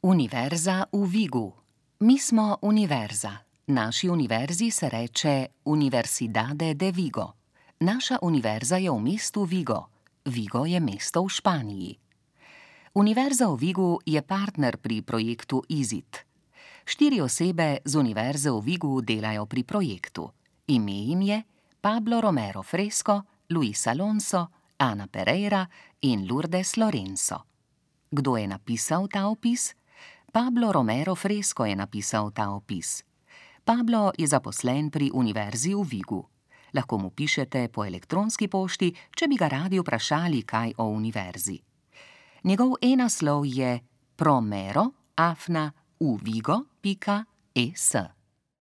Univerza v Vigu. Mi smo univerza. Naši univerzi se reče Universidade de Vigo. Naša univerza je v mestu Vigo. Vigo je mesto v Španiji. Univerza v Vigu je partner pri projektu IZIT. 4 osebe z Univerze v Vigu delajo pri projektu. Ime jim je Pablo Romero Fresco, Luis Alonso, Ana Pereira in Lourdes Lorenzo. Kdo je napisal ta opis? Pablo Romero Fresco je napisal ta opis. Pablo je zaposlen pri Univerzi v Vigu. Lahko mu pišete po elektronski pošti, če bi ga radi vprašali kaj o univerzi. Njegov e-naslov je promero@uvigo.es.